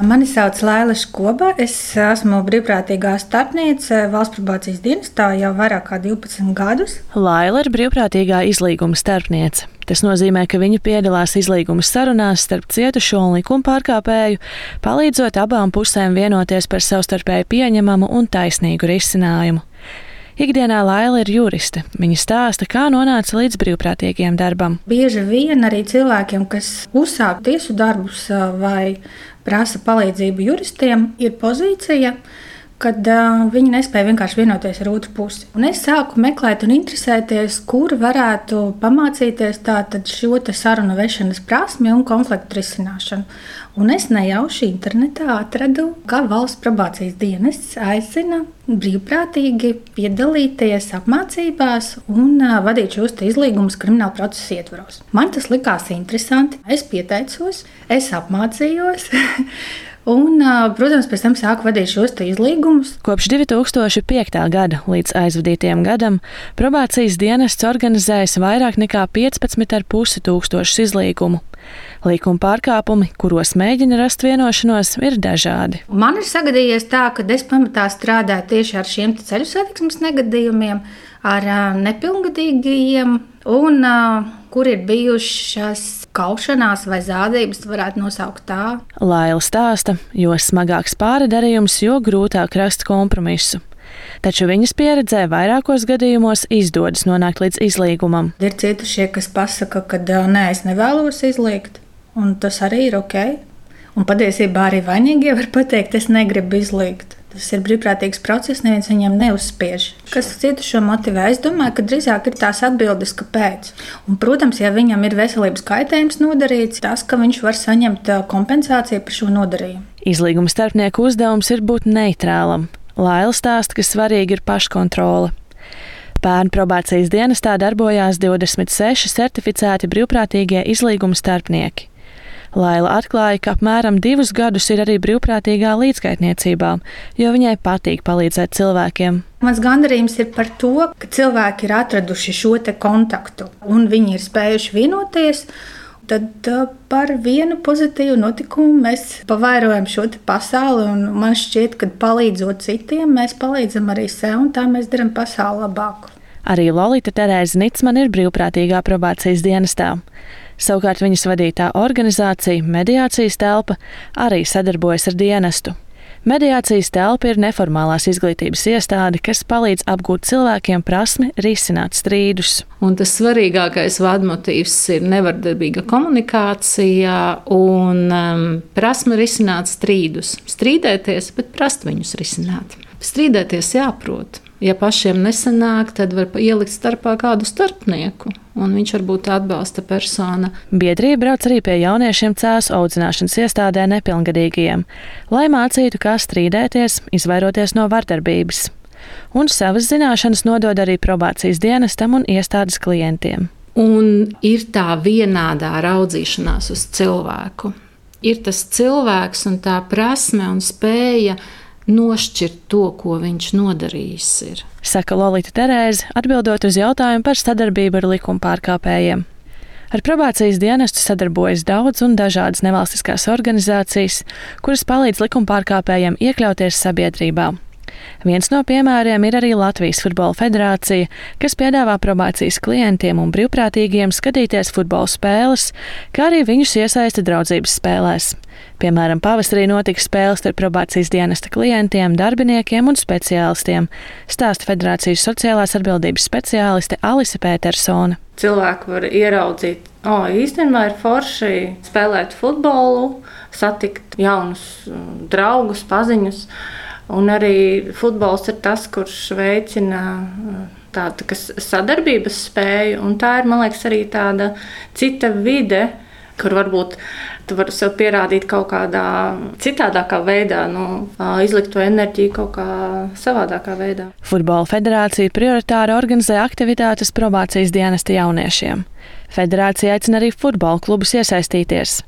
Mani sauc Laila Škoba. Es esmu brīvprātīgā starpniece Valsts probācijas dienestā jau vairāk kā 12 gadus. Laila ir brīvprātīgā izlīguma starpniece. Tas nozīmē, ka viņa piedalās izlīguma sarunās starp cietušo un likumpārkāpēju, palīdzot abām pusēm vienoties par savstarpēji pieņemamu un taisnīgu risinājumu. Ikdienā Laila ir juriste. Viņa stāsta, kā nonāca līdz brīvprātīgiem darbam. Bieži vien arī cilvēkiem, kas uzsāk tiesu darbus vai prasa palīdzību juristiem, ir pozīcija, kad viņi nespēja vienkārši vienoties ar otru pusi. Un es sāku meklēt un interesēties, kur varētu pamācīties tātad šo sarunu vešanas prasmi un konfliktu risināšanu. Un es nejauši internetā atradu, ka Valsts probācijas dienests aicina brīvprātīgi piedalīties apmācībās un vadīt šos izlīgumus krimināla procesa ietvaros. Man tas likās interesanti. Es pieteicos, es apmācījos. Un, protams, pēc tam sāku vadīt šos izlīgumus. Kopš 2005. gada līdz aizvadītajam gadam probācijas dienests organizējis vairāk nekā 15,5 tūkstošus izlīgumu. Līkuma pārkāpumi, kuros mēģina rast vienošanos, ir dažādi. Man ir sagadījies tā, ka es pamatā strādāju tieši ar šiem ceļu satiksmes negadījumiem, ar nepilngadīgajiem un kur ir bijušas kaušanās vai zādības, varētu nosaukt tā. Laila stāsta, jo smagāks pārdarījums, jo grūtāk rast kompromisu. Taču viņas pieredzē vairākos gadījumos izdodas nonākt līdz izlīgumam. Ir cietušie, kas pasaka, ka nē, es nevēlos izlīgt, un tas arī ir ok. Un patiesībā arī vainīgie var pateikt, es negribu izlīgt. Tas ir brīvprātīgs process, neviens viņam neuzspiež. Kas cietušo motivē? Es domāju, ka drīzāk ir tās atbildes, kāpēc. Un, protams, ja viņam ir veselības kaitējums nodarīts, tas, ka viņš var saņemt kompensāciju par šo nodarījumu. Izlīguma starpnieku uzdevums ir būt neitrālam. Laila stāsta, ka svarīgi ir paškontrole. Pērn probācijas dienestā darbojās 26 certificēti brīvprātīgie izlīguma starpnieki. Laila atklāja, ka apmēram 2 gadus ir arī brīvprātīgā līdzgaitniecībā, jo viņai patīk palīdzēt cilvēkiem. Mans gandarījums ir par to, ka cilvēki ir atraduši šo kontaktu un viņi ir spējuši vienoties. Tad par vienu pozitīvu notikumu mēs pavairojam šo pasauli, un man šķiet, ka palīdzot citiem, mēs palīdzam arī sev, un tā mēs darām pasauli labāku. Arī Lolita Terēze Nicmane ir brīvprātīgā probācijas dienestā. Savukārt viņas vadītā organizācija Mediācijas telpa arī sadarbojas ar dienestu. Mediācijas telpa ir neformālās izglītības iestāde, kas palīdz apgūt cilvēkiem prasmi risināt strīdus. Un tas svarīgākais vadmotīvs ir nevardarbīga komunikācija un prasme risināt strīdus. Strīdēties, bet prast viņus risināt. Strīdēties jāprot. Ja pašiem nesanāk, tad var ielikt starpā kādu starpnieku, un viņš var būt atbalsta persona. Biedrība brauc arī pie jauniešiem cēsu audzināšanas iestādē nepilngadīgajiem, lai mācītu, kā strīdēties, izvairoties no vardarbības. Un savas zināšanas nodod arī probācijas dienestam un iestādes klientiem. Un ir tā vienādā raudzīšanās uz cilvēku. Ir tas cilvēks un tā prasme un spēja nošķirt to, ko viņš nodarījis ir. Saka Lolita Terēze, atbildot uz jautājumu par sadarbību ar likumpārkāpējiem. Ar probācijas dienestu sadarbojas daudz un dažādas nevalstiskās organizācijas, kuras palīdz likumpārkāpējiem iekļauties sabiedrībā. Viens no piemēriem ir arī Latvijas Futbola federācija, kas piedāvā probācijas klientiem un brīvprātīgiem skatīties futbola spēles, kā arī viņus iesaista draudzības spēlēs. Piemēram, pavasarī notika spēles ar probācijas dienesta klientiem, darbiniekiem un speciālistiem, stāsta federācijas sociālās atbildības speciāliste Alise Pētersone. Cilvēki var ieraudzīt, īstenībā ir forši spēlēt futbolu, satikt jaunus draugus, paziņus. Un arī futbols ir tas, kurš veicina tādu sadarbības spēju. Un tā ir, man liekas, arī tāda cita vide, kur varbūt tu vari sev pierādīt kaut kādā citādākā veidā, izlikt to enerģiju kaut kā savādākā veidā. Futbola federācija prioritāri organizē aktivitātes probācijas dienesta jauniešiem. Federācija aicina arī futbola klubus iesaistīties.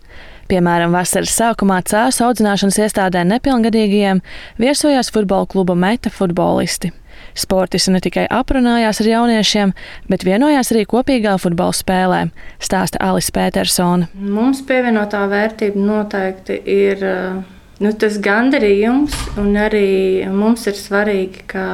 Piemēram, vasaras sākumā cēsu audzināšanas iestādē nepilngadīgajiem viesojās futbola kluba Meta futbolisti. Sportisti ne tikai aprunājās ar jauniešiem, bet vienojās arī kopīgā futbola spēlē, stāsta Alise Pētersone. Mums pievienotā vērtība noteikti ir Tas gandarījums, un arī mums ir svarīgi, ka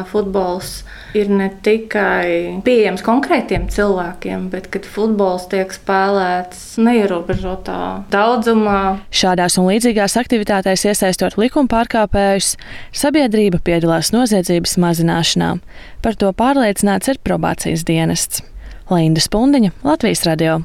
futbols ir ne tikai pieejams konkrētiem cilvēkiem, bet kad futbols tiek spēlēts neierobežotā daudzumā. Šādās un līdzīgās aktivitātēs iesaistot likumpārkāpējus, sabiedrība piedalās noziedzības mazināšanā. Par to pārliecināts ir probācijas dienests. Linda Spundiņa, Latvijas radio.